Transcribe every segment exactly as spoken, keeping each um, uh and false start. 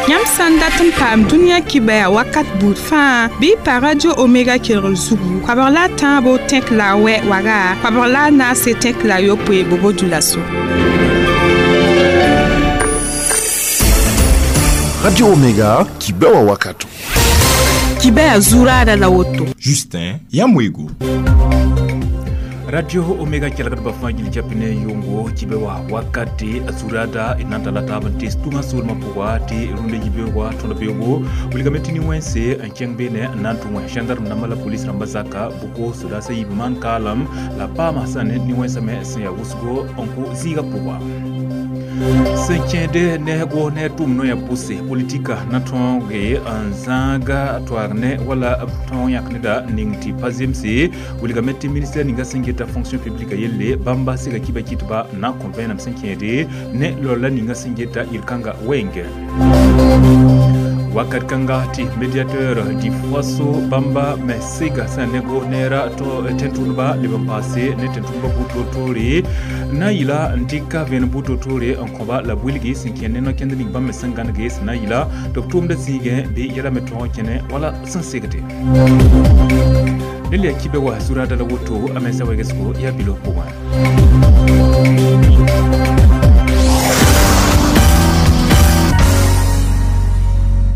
Yãmb sã n dat n paam dũniyã kibaya wakat buud fãa bɩ y pa Radio Omega kelgr zugu koabg la a tãabo tẽk la a wɛ waga koabg la a naase tẽk la a yopoe bobo dulaso. Radio Omega kibewa wakato. Kibaya zurada la woto. Justin Yamwego. Radio Omega kelgdba fãa gil japne yʋngo kibe wa wakati surada nan tala taab n tes tʋngã soolmã pʋga tɩ rũndã yibeoogã tõd beoogo wilgame tɩ nin-wẽnse n kẽng beene n na n tʋ wẽ gendarme rãmbã la polis rãmbã zaka bʋko sodaasã yiib maan kaalem la paama sã ne nin-wẽnsã me sẽn yaa wʋsgo n kʋ zĩigã pʋga sẽn kẽede ne goos ne tʋʋm noyã pʋse politika na tõoge n zãaga toaag ne wala b tõog yãk neda ning tɩ pa zemse wilgame tɩ ministɛr ninga sẽn geta fonction publique yelle bãmba sega kiba kɩtba n na n kõ vẽenem sẽn kẽede ne lolla ninga sẽn geta yel-kãnga wenge wakat kãnga tɩ médiateur di faso bãmba me sega sã ne goos neera tẽn-tʋʋdba leb n paase ne tẽn-tʋʋdba buud-toor-toore na n yɩla n dɩka vẽenem buud toor-toore n kõba la b wilgi sẽn kẽ ne no-kẽnd ning bãmb me sẽn gãnege sẽn na n yɩla tɩ b tʋʋmdã zĩigẽ bɩ yɛla me tõog n kẽne wala sẽn segde nel yaa kibe wa zurada la woto a mensa wegesgo yaa bilo pʋgẽ.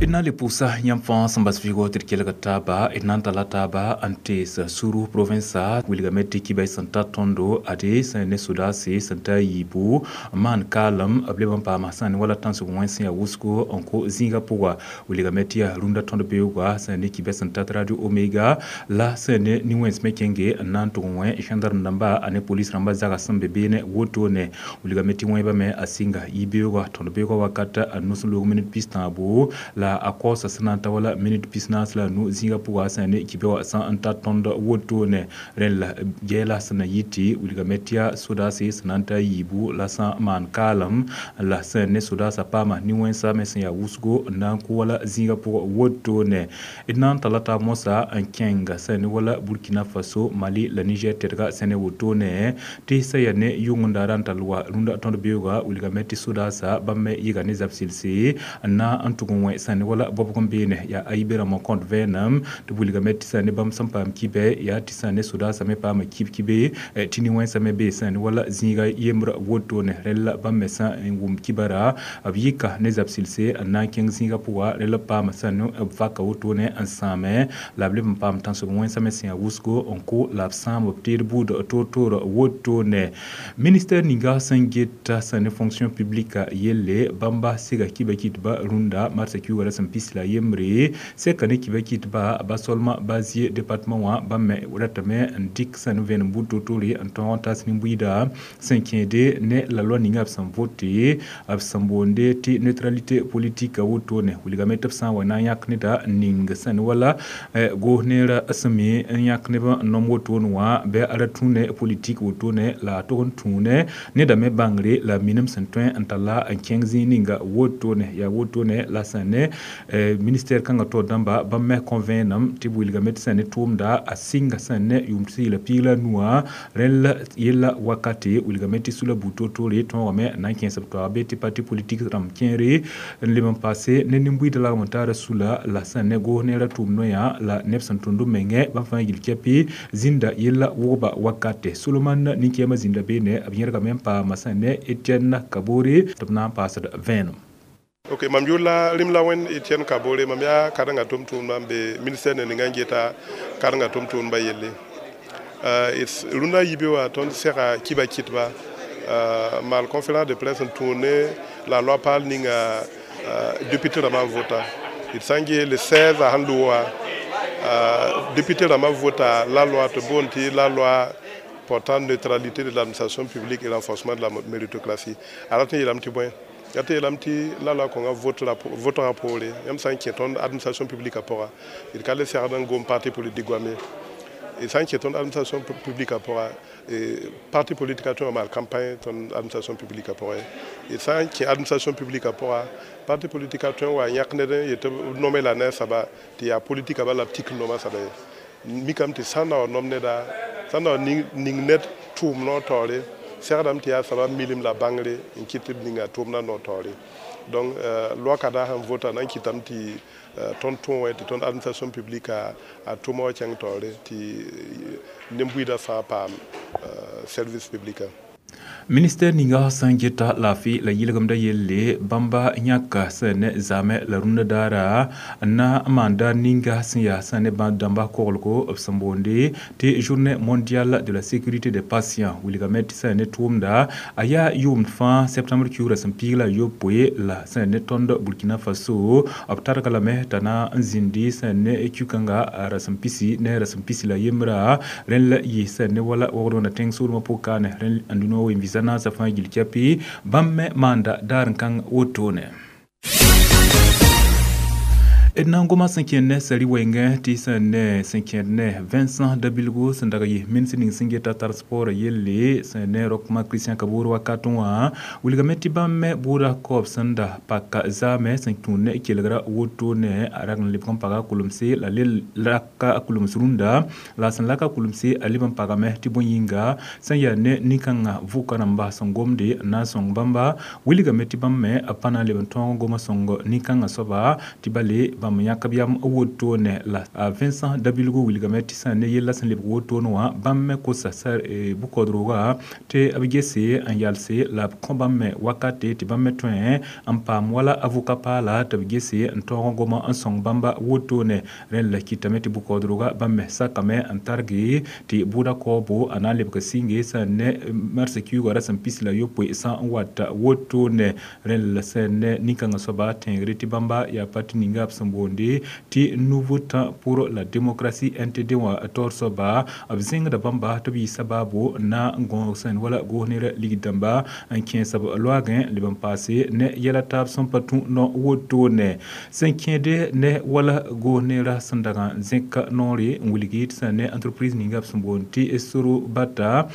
D na n le pʋʋsa yãmb fãa sẽn bas vɩɩgo tɩ d kelg taaba d na n tala taaba n tees suru provinsa wilgame tɩ kibay sẽn ta tõndo ade sẽn ne sodaase sẽn ta yiibu maan kaalem b leb n paama sã ne wala tãnsg wẽns yaa wʋsgo n kʋ zĩigã pʋga wilgame tɩ yaa rũndã tõnd beoogã sẽn ne kibɛ sẽn tat Radio Omega la sẽn ne nin-wẽns me kẽnge n na n tʋg wẽ gendarme rãmba ane polis rãmba zaga sẽn be beene wotone wilgame tɩ wẽebã me a sɩnga yibeoogã tõnd beoogã wakat a nus n loog minit pis tãabo la a kaoosa sẽn na n ta wala minit pis naas la a nu zĩigã pʋga sã ne kibe wã sã n ta tõnd wotone rẽnd la gɛɛla sẽn na yɩ tɩ wilgame tɩ yaa sodaase sẽn na n ta yiibu la sã n maan kaalem la sẽn ne sodaasã paama nin-wẽnsã me sẽn yaa wʋsgo n na n kʋ wala zĩigã pʋgã wotone d na n tala taab mosã n kẽnga sẽn ne wala Burkina Faso, Mali la Niger tɛdga sẽn ne wotone tɩ sã yaa ne yʋng n daara n tall wa rũndã tõnd beoogã wilgame tɩ sodaasã bãmb me yɩga ne zab selse n na n tʋg n wẽ sẽn ne wala bobg n beene yaa ayibe rãmb n kõt vẽenem tɩ b wilgame tɩ sã ne bãmb sẽn paam kibɛ yaa tɩ sã ne sodaasã me paama kib kibe tɩ nin-wẽnsã me bee sã ne wala zĩiga yembr wotone rẽnd la bãmb me sã n wʋm kibara b yɩka ne zab selse n na n kẽng zĩigã pʋga rẽnd la b paama sã ne b vaka wotone n sãame la b leb n paam tãnsg wẽnsã me sẽn yaa wʋsgo n kʋ la b sãam b teed buud toor-toor wotone ministɛr ninga sẽn geta sã ne fonction publique yelle bãmba sega kiba kɩtba rũndã marsã kiuugã ra sẽn pis la yembre sɛka ne kiba kɩtba ba solma ba zie département wã bãmb me ratame n dɩk sã ne vẽenem buud toor-toore n tõog n tas nin-buiida sẽn kẽede ne la loi ninga b sẽn vote b sẽn boonde tɩ neutralité politique wotone wilgame tɩ b sã n wa na n yãk neda n ning sã ne wala goos neerã sẽn me n yãk neb n nom wotone wã bɩ a ra tũ ne politique wotone la a tog n tũune neda me bãngre la minim sẽn tõe n talla n kẽng zĩig ninga wotone yaa wotone la sã ne ministère kãngã taoor dãmba bãmb me kõ vẽenem tɩ b wilgame tɩ sã ne tʋʋmda a sɩnga sã ne yʋʋm tɩ la piig la nuwã rẽnd la yella wakate wilgame tɩ sula buud toor-toore tõogame n na n kẽes b toaag be tɩ parti politique rãmb kẽere n leb n paase ne nin-buiidã lagem n taara sula la sã ne goos neerã tʋʋm noyã la neb sẽn tũnd b mengẽ bãmb fãa yil kɛpɩ zĩnda yella wʋgba wakate Solomon nin-kɛɛmã zĩnda beene b yẽrgame n paama sã ne Etienne Kabore tɩ b na n paasd vẽenem. Ok, mam yʋʋr la rĩm la wẽnd Etienne Kabore, mam yaa karen-gã tʋm-tʋʋmdã n be ministère ne ninga n geta karen-gã tʋm-tʋʋmdbã yelle. Rũndã yibe wã tõnd sega kiba kɩtba maal conférence de presse n tũud ne la loi paal ninga député rãmbã vota. D sã n gee le seize a sẽn loog wã député rãmbã vota la loi tɩ boond tɩ la loi portant neutralité de l'administration publique et renforcement de la méritocratie. A rat n yeelame tɩ bõe yaa tɩ yeelame tɩ la loi kõnga votgã poore yãmb sã n kẽ tõnd administration publique pʋga d ka le segd n gom parti politique goame d sã n kẽ tõnd administration publique pʋga parti politique tõe n maal campagne tõnd administration publique pʋgẽ d sã n kẽ administration publique pʋga parti politique tõe n wa yãk ned n yetɩ b nome la ne a soaba tɩ yaa politique bala b tik noma soaba ye mikame tɩ sã n na wa nom neda sã n na wa ning ned tʋʋm noor taoore Segdame tɩ yaa sabab milim la bãngre n kɩt tɩ b ninga tʋʋmdã no taoore. Donc loi ka da sẽn vota na n kɩtame tɩ tõnd tõe tɩ tõnd administration publique a a tʋma wã kẽng taoore tɩ nin-buiidã fãa paam service public. Ministère ninga sẽn geta laafɩ la yɩlgemdã yelle bãmba yãka sẽn ne zaamẽ la rũndã daara n na n maan daar ninga sẽn yaa sẽn ne bãmb dãmba koglgo b sẽn boonde tɩ Journée mondiale de la sécurité des patients wilgame tɩ sẽn ne tʋʋmda a yaa yʋʋmd fãa septembre kiugrã sẽn piig la a yopoe la sẽn ne tõnd Burkina Faso b targa lame t'a na n zĩndi sẽn ne kiu-kãnga rasem pisi ne rasem pisi la yembra rẽnd la yɩ sẽn ne wala wogd wẽnna tẽng soolmã pʋg-kaane rẽnd n dũniyã wen visa naasã fãa gil kɛpɩ bãmb me maanda daar n kãng wotone. D na n goma sẽn kẽnd ne sari wɛɛngẽ tɩ sẽn ne sẽn kẽed ne Vincent Dabilgo sẽn dag yɩ ministre ning sẽn geta transport yelle sẽn ne Roch Marc Christian Kabore wakat wã wilgame tɩ bãmb me bʋʋda kaoob sẽn da paka zaamẽ sẽn tũud ne kelgra woto ne a rag n lebg n paga kulemse la le laka kulems rũndã la sẽn laka kulemse a leb n pagame tɩ bõe yĩnga sẽn yaa ne nin-kãngã vʋka rãmba sẽn gomde n na n sõng bãmba wilgame tɩ bãmb me b pa na n leb n tõog goma sõng nin-kãngã soaba tɩ bale bãmb yãk b yam wotone la Vincent Dabilgo wilgame tɩ sã ne yella sẽn lebg wotone wã bãmb me kosa bʋ-kaoodrogã tɩ b gese n yalse la b kõ bãmb me wakate tɩ bãmb me tõe n paam wala avocat paala tɩ b gese n tõog goma n sõng bãmba wotone rẽnd la kɩtame tɩ bʋ-kaoodrogã bãmb me sakame n targe tɩ bʋʋda kaoobo a na n lebg sɩnge sẽn ne mars kiuugã rasem pis la yopoe sã n wata wotone rẽnd la sẽn ne nin-kãngã soaba tẽegre tɩ bãmba yaa parti ninga b sẽn boonde tɩ Nouveau Temps pour la démocratie N T D wã taoor soaba b zẽngda bãmba tɩ b yɩ sabaabo na n gõog sẽn wala goos nera ligd dãmba n kẽes b loagẽ leb n paase ne yɛla taab sẽn pa tũ no wotone sẽn kẽede ne wala goos neerã sẽn dag n zẽk noore n wilgi tɩ sẽn ne entreprise ninga b sẽn boond tɩ Soro Bata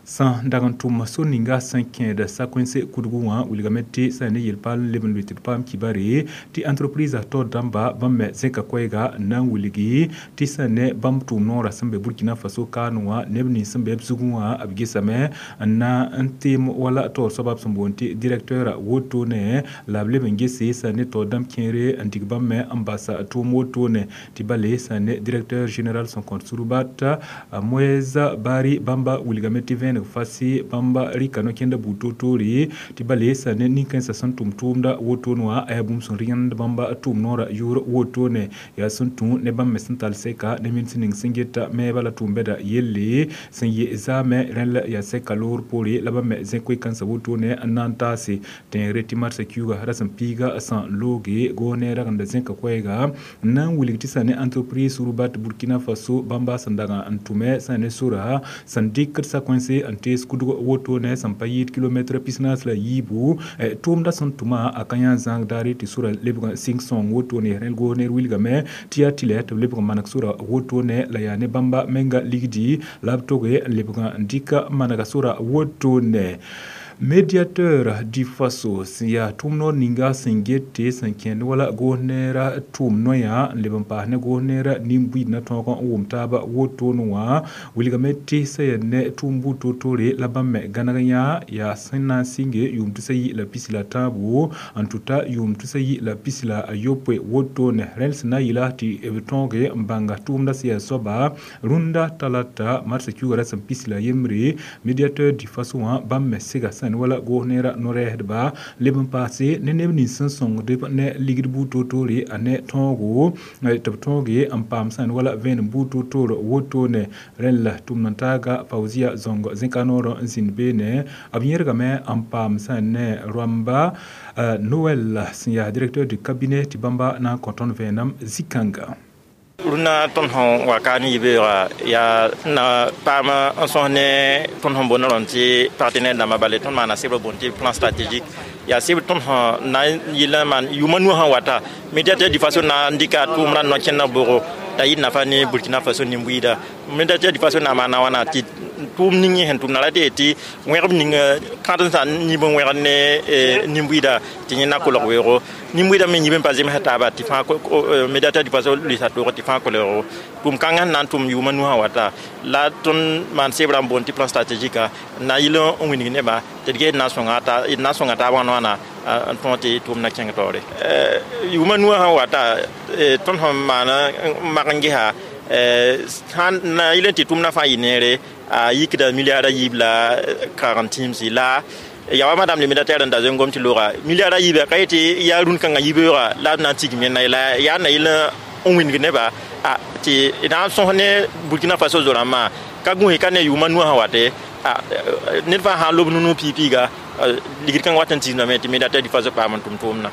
sã dag n tʋm sor ninga sẽn kẽed sakõense kudgu wã wilgame tɩ sẽn ne yel-paal n leb n lʋɩ tɩ d paam kibare tɩ entreprise taoor dãmba bãmb me zẽka koɛɛga n na n wilgi tɩ sẽn ne bãmb tʋʋm noorã sẽn be Burkina Faso kaane wã neb nins sẽn be b zugẽ wã b gesame n na n teem wala taoor soaba b sẽn boond tɩ directeur wotone la b leb n gese sẽn ne taoor dãmb kẽere n dig bãmb me n basa tʋʋm wotone tɩ bale sẽn ne directeur général sẽn kõt Surubat Moise Bari bãmba wilgame tɩ vẽeneg fasi bãmba rɩka no-kẽndã buud toor-toore tɩ bale sã ne nin-kãensã sẽn tʋm tʋʋmda wotone wã a yaa bũmb sẽn rẽnd bãmba tʋʋm noorã yʋʋr wotone yaa sẽn tũ ne bãmb me sẽn tall sɛka ne ministr ning sẽn geta meebã la tʋʋm-bɛda yelle sẽn yɩ zaamẽ rẽnd la yaa sɛka loor poore la bãmb me zẽ koe-kãensã wotone n na n taase tẽegre tɩ marsã kiuugã rasem piiga sã n looge goos ne ragenda zẽka koɛɛga n na n wilg tɩ sã ne entreprise Surubat Burkina Faso bãmba sẽn dag n tʋme sã ne sora sẽn dɩkd sakõense n tees kudg wotone sẽn pa yɩɩd kilomɛtrã pis-naas la yiibu tʋʋmdã sẽn tʋma a ka yã zãag daare tɩ sora lebg n sɩng sõng wotone rẽnd goos ner wilgame tɩ yaa tɩ lɛ tɩ b lebg n maneg sora wotone la yaa ne bãmba menga ligdi la b toge n lebg n dɩka manega sora wotone. Médiateur du Faso sẽn yaa tʋʋm noor ninga sẽn get tɩ sẽn kẽnd wala goos neerã tʋʋm noyã n leb n paas ne goos neerã nin-buiid na tõog n wʋm taaba wotone wã wilgame tɩ sẽn yaa ne tʋʋm buud toor-toore la bãmb me gãneg yã yaa sẽn na n sɩnge yʋʋm tusa yi la pisi la tãabo n tʋta yʋʋm tusa yi la pisi la a yopoe wotone rẽnd sẽn na n yɩla tɩ b tõoge n bãnga tʋʋmdã sẽn yaa soaba rũndã talata marsã kiuugã rasem pisi la yembre. Médiateur du Faso wã bãmb me sega sẽn wala goos neerã no-rɛɛsdba leb n paase ne neb nins sẽn sõngd ne ligd buud toor-toore a ne tõogo tɩ b tõoge n paam sẽn wala vẽenem buud toor-toor wotone rẽnd la tʋmd n taaga Fauzia Zõng zẽka noorã n zĩnd beene b yẽrgame n paam sẽn ne rãmba Noël sẽn yaa directeur du cabinet tɩ bãmba na n kõ tõnd vẽenem zĩ-kãnga. Rũnã tõnd sẽn wa ka ne yibeoogã yaa na paam n sõs ne tõnd sẽn boond rõnd tɩ partenaire dãmbã bale tõnd maana sɩbr boond tɩ plan stratégique yaa sɩbr tõnd sẽn na n yɩl n maan yʋʋma nu sẽn wata Médiateur du Faso na n dɩka tʋʋmdã no-kẽndã bʋgo t'a yɩ nafa ne Burkina Faso nin-buiida. Médiateur du Faso na maana wãna tɩ tʋʋm ning yẽ sẽn tʋmda ra tɩ tɩ wẽgb ning kãdensã yĩb n wẽgd ne nin-buiida tɩ yẽ na kolg weoogo nin-buiidã me yĩb n pa zemsa taaba tɩ fãa médiateur du Faso lʋɩsa toog tɩ fãa kolgo tʋʋm kãngã sẽn na n tʋm yʋʋma nu sã wata la tõnd maan sebra n boond tɩ plan stratégique n na yɩl n wilg nebã tɩ d ges na sõnga d na sõnga taab wãn wãna n tõog tɩ tʋʋm na kẽng taoore yʋʋma nuwã sã wata tõnd sẽn maan n mak n gesa sãn na yɩl n tɩ tʋʋmdã fãa yɩ neere a yikda milliard a yiib la kaagn tĩimsi la ya wa madame le médiateur n da zoe n gom tɩ looga milliard a yiiba ka yetɩ yaa rũn-kãngã yibeoogã la b na n tigim yẽnda la yaa na yɩl n wĩndg nebã tɩ na n sõs ne Burkina Faso zo-rãmbã ka gũus ka ne yʋʋma nuwã sã wate ned fãa sã n lob nu piig-piiga ligd kãngã wat n tigsdame tɩ médiateur du Faso paam n tʋm tʋʋmdã.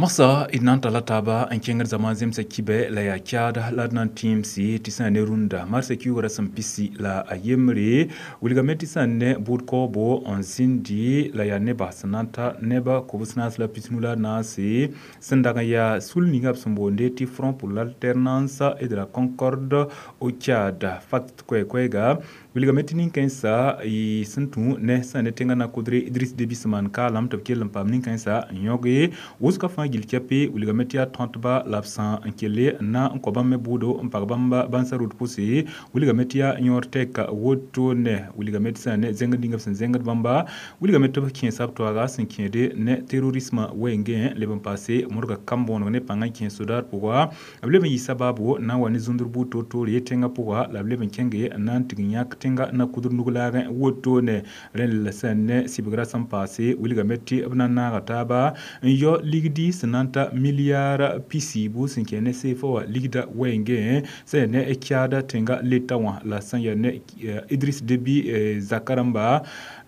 Masa d na n talla taaba n kẽngd zama zemsa kibɛ la yaa Tchad la d na n tẽemse tɩ sã n ne rũndã marsã kiuugrã sẽn pisi la a yembre wilgame tɩ sã n ne bʋʋd kaoobo n zĩndi la yaa nebã sẽn na n ta neba kobs naas la pisnu la naase sẽn dag n yaa sul ninga b sẽn boonde tɩ Front pour l'alternance et de la concorde au Tchad fact koɛɛ-koɛɛga wilgame tɩ nin-kãensã y sẽn tũ ne sã ne tẽngã na-kʋdre Idriss Déby sẽn maan kaalam tɩ b kell n paam nin-kãensã n yõge wʋsgã fãa gil kɛpe wilgame tɩ yaa tõtba la b sã n kelle n na n kõ bãmb me bʋʋdo n pag bãmb bãnsa rʋd pʋse wilgame tɩ yaa yõor tɛka wotone wilgame tɩ sã ne zẽngd ninga b sẽn zẽngd bãmba wilgame tɩ b kẽesa b toaaga sẽn kẽede ne terrorisme wɛɛngẽ leb n paase modga kam-bõoneg ne pãng n kẽ sodar pʋga b leb n yɩ sabaabo na n wa ne zũndr buud toor-toore tẽngã pʋga la b leb n kẽnge n na n tig n yãk tẽnga na-kʋdr nug-laagẽ wotone rẽnd la sã ne sɩbgrã sẽn paase wilgame tɩ b na n naaga taaba n yao ligdi sẽn na n ta milliard pisiibu sẽn kẽ ne seefa wã ligda wɛɛngẽ sẽn yaa ne Tchad tẽnga leta wã la sẽn yaa ne Idriss Déby zakarãmba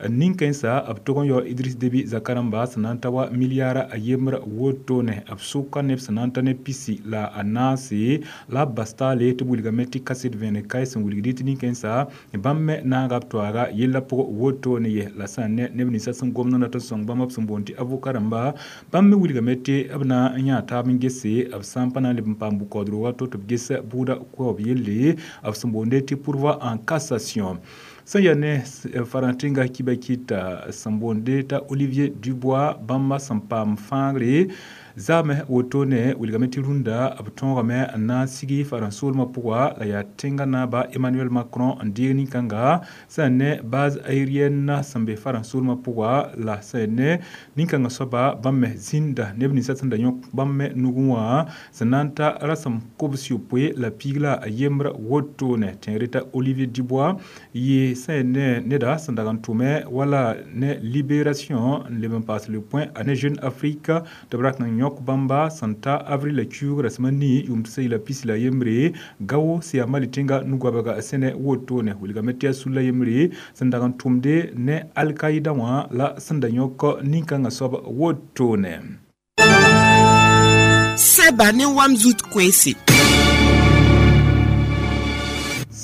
nin-kãensã b tog n yao Idriss Déby zakarãmba sẽn na n ta wa milliard a yembr wotone b sʋka neb sẽn na n ta ne pisi la a naase la b bas taale tɩ b wilgame tɩ kaset vẽeneg kae sẽn wilgd tɩ nin-kãensã bãmb me naaga b toaaga yellã pʋgẽ wotone ye la sã n ne neb ninsã sẽn gomd n dat n sõng bãmb b sẽn boond tɩ avocat rãmba bãmb me wilgame tɩ b na n yã taab n gese b sã n pa na n leb n paam bʋ-kaoodg wato tɩ b ges bʋʋda koɛob yelle b sẽn boonde tɩ pourvoi en cassation sẽn yaa ne farãntẽnga kiba kɩta sẽn boonde t'a Olivier Dubois bãmba sẽn paam fãagre zaame wotone wilgame tɩ rũndã b tõogame n na n sigi farãn-soolmã pʋga la yaa tẽngã naaba Emmanuel Macron n deeg nin-kãnga sã n ne base aérienne sẽn be farãn-soolmã pʋga la sã n ne nin-kãngã soaba bãmb me zĩnda neb ninsã sẽn da yõk bãmb me nugẽ wã sẽn na n ta rasem kobs yopoe la piig la a yembr wotone tẽegre t'a Olivier Dubois yɩ sã n ne neda sẽn dag n tʋme wala ne Libération n leb n paas le point a ne Jeune Afrique tɩ b rat n yõk bãmba sẽn ta avril la kiuug rasem a nii yʋʋm tɩ la pis la yembre gao sẽn yaa Mali tẽnga nu-goabga sẽne wotone wilgame tɩ yaa sul la yembre sẽn dag n tʋmde ne Al-Qaïda wã la sẽn da yõk nin-kãngã soab wotone. Sɛba ne wam zut koeese.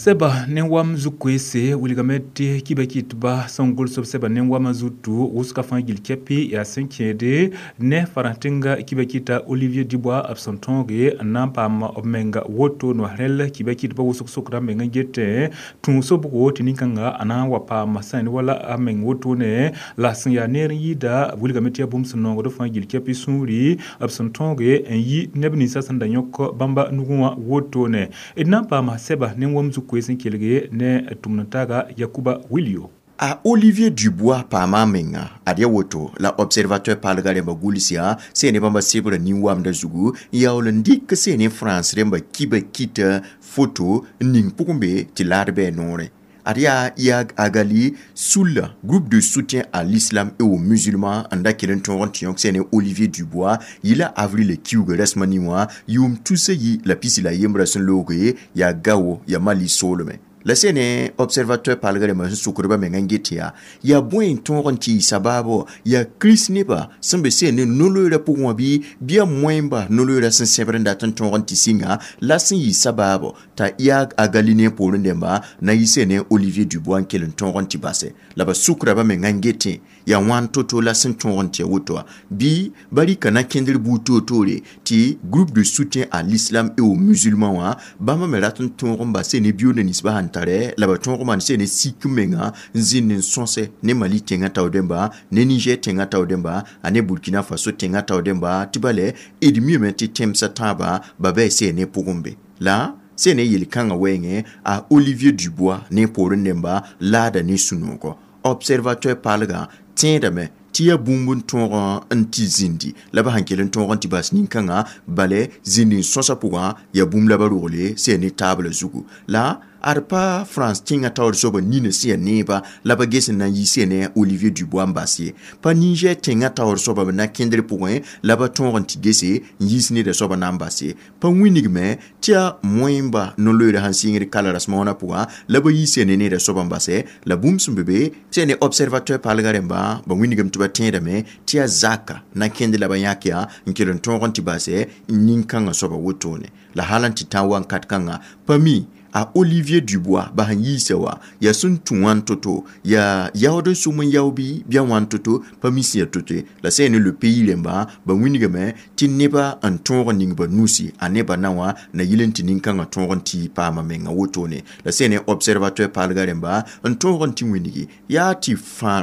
Sɛba ne wam zu-koeese wilgame tɩ kiba kɩtba sẽn gʋls b sɛba ne wamã zutu wʋsgã fãa gil kɛpɩ yaa sẽn kẽede ne farãntẽnga kiba kɩta Olivier Dubois b sẽn tõoge n na n paam b menga woto no rẽl kiba kɩtba wʋsg sokda meng n getẽ tũ sobgo tɩ nin-kãnga a na n wa paam sã n wala a meng wotone la sẽn yaa neer n yɩɩda wilgame tɩ yaa bũmb sẽn nongd fãa gil kɛpɩ sũuri b sẽn tõoge n yi neb ninsã sẽn da yõk bãmba nugẽ wã wotone d na n paama sɛba ne wam zu koees n kelge ne tʋmd-n-taaga Yakuba Wilio. A Olivier Dubois paama menga ad ya woto la Observateur paalga rẽmba gʋls yaa sẽn ne bãmba sebra nin-wamdã zugu n yaool n dɩk sẽn ne France rẽmba kiba kɩta foto n ning pʋgẽ be tɩ laad bɩ a noorẽ. Ad yaa Iyad Ag Ghali Sulla, groupe de soutien à l'islam et aux musulmans n da kell n tõog n tɩ yõk sẽn ne Olivier Dubois yɩla avril kiuugã rasmã nin wã yʋʋm tusa yi la pisi la yembrã sẽn looge yaa Gao yaa Mali soolmẽ. La sẽne observateur palga rãmbã sẽn sukd ba menga n get yaa yaa bõe n tõog n tɩ yɩ sabaabo yaa kirist nebã sẽn be sẽn ne no-loeerã pʋgẽ wã bɩ bɩ yaa moẽmba no-loeerã sẽn sẽbd n dat n tõog n tɩ sɩnga la sẽn yɩ sabaabo t'a yaa a galine poorẽ dẽmba na yɩ sẽn ne Olivier Dubois n kell n tõog n tɩ base la ba sukra ba menga n getẽ yaa wãn to-to la sẽn tõog n tɩ woto wã bɩ ba rɩka na kẽndr buud toor-toore tɩ groupe de soutien à l'islam et aux musulmans wã bãmba me rat n tõog n bas ne biooda ninsbã sẽn tare la ba tõog maan sẽn ne sik menga n zĩnd n sõse ne Mali tẽngã tao dẽmba ne Niger tẽngã tao dẽmba a ne Burkina Faso tẽngã tao dẽmba tɩ bale d miame tɩ tẽmsã tãabã ba bɩ sẽn ne pʋgẽ be la sẽn ne yel-kãngã wɛɛngẽ a Olivier Dubois ne poorẽ dẽmba laada ne sũ-noogɔ observateur paalgã tẽedame tɩ yaa bũmb n tõog n tɩ zĩndi la ba sẽn kell n tõog n tɩ bas nin-kãngã bale zĩnd n sõsã pʋgã yaa bũmb la ba rogle sẽn ne taabla zugu la ad pa France tẽngã taoor soaba nina sẽn yaa neeba la ba ges n na n yi sẽn ne Olivier Dubois n bas ye pa Niger tẽngã taoor soaba b na kẽndr pʋgẽ la ba tõog n tɩ gese n yiis neda soaba na n bas ye pa wĩnigme tɩ yaa moẽmba no-loeerã sẽn sɩngd kala rasmoonã pʋgã la ba yi sẽn ne neda soaba n base la bũmb sẽn be be sẽn ne observateur paalgã rẽmba ba wĩnigame tɩ ba tẽedame tɩ yaa zaka na kẽnd la ba yãk yaa n kell n tõog n tɩ base nin-kãngã soaba wotone la hal n tɩ tã wankat kãngã pa mi a Olivier Dubois ba sẽn yiisa wa yaa sẽn tũ wãn to-to yaa yaood n sʋm n yao bɩ bɩa wãn to-to pa mi sẽn yaa to-to ye la sẽn ne le pays rẽmba ba wĩnigame tɩ neba n tõog n ning ba nusi a nebã na wã na yɩl n tɩ nin-kãngã tõog n tɩ paama menga wotone la sẽn ne observateur paalgã rẽmba n tõog n tɩ wĩnigi yaa tɩ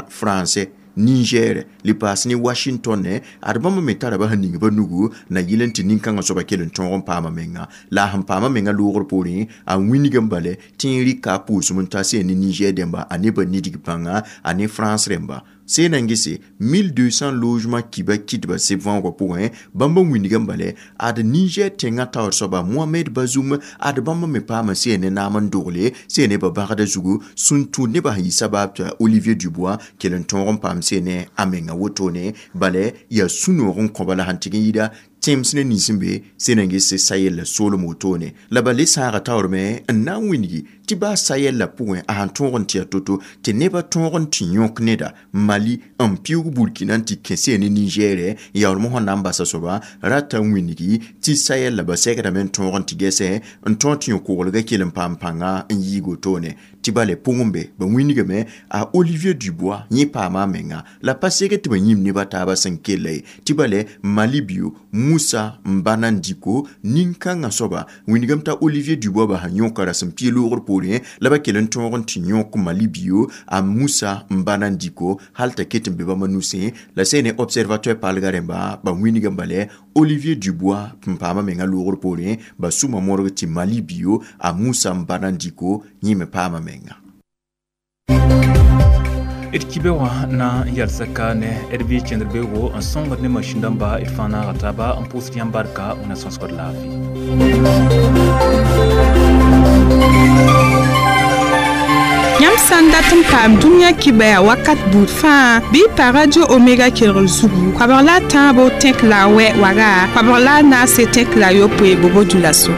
français Niger li paas ne Washington ne ad bãmb me tara ba sẽn ning ba nugu na yɩl n tɩ nin-kãngã soaba kell n tõog n paama menga la a sẽn paama menga loogr poorẽ a wĩnigame bale tɩ n rɩka a pʋʋsem n ta sẽn ne Niger dẽmba a ne ba nidg pãnga a ne France rẽmba sẽn na n gese mille deux cents logements kiba kɩtba seb võogã pʋgẽ bãmb n wĩnigame bale ad Niger tẽngã taoor soaba Mohamed Bazoum ad bãmb me paama sẽn ne naam n dogle sẽn ne ba bãgda zugu sẽn tũ nebã sẽn yɩ sabab tɩ Olivier Dubois kell n tõog n paam sẽn ne a menga wotone bale yaa sũ-noog n kõba la sẽn tɩg n yɩɩda tẽms ne nins n be sẽn na n ges Sahel la soolem wotone la ba le sãaga taoorme n na n wĩngi tɩ baa Sahel la pʋgẽ a sẽn tõog n tɩ yaa to-to tɩ nebã tõog n tɩ yõk neda Mali n pɩʋʋg Burkina n tɩ kẽ sẽn ne Niger yaoolem sẽn na n basa soaba rata n wĩngi tɩ Sahel la ba sɛkdame n tõog n tɩ gɛsɛ n tõog tɩ yõ-koglgã kell n paam pãnga n yiig wotone tɩ bale pʋgẽ be ba wĩnigame a Olivier Dubois yẽ paama a menga la pa seg tɩ ba yĩm neba taabã sẽn kella ye tɩ bale Mali bio Moussa Mbana Diko nin-kãngã soaba wĩnigame t'a Olivier Dubois ba sẽn yõka rasem pia loogr poorẽ la ba kell n tõog n tɩ yõk Mali bio a Moussa Mbana Diko hal t'a ket n be bãmba nusẽ la sẽn ne observateur paalgã rẽmba ba wĩnigame bale Olivier Dubois n paama menga loogr poorẽ ba sũma modg tɩ Mali bio a Moussa Mbana Diko yẽ me paama menga. D kibe wã na n yalsa ka ne d bɩ kẽndr beoogo n sõngd ne masĩn dãmba d fãa naaga taaba n pʋʋsd yãmb barka wẽna sõsgd laafɩ. Yãmb sã n dat n paam dũniyã kibaya wakat buud fãa bɩ pa Radio Omega kelgr zugu koabg la a tãabo tẽk la a wɛ waga koabg la a naase tẽk la a yopoe bobo dulaso.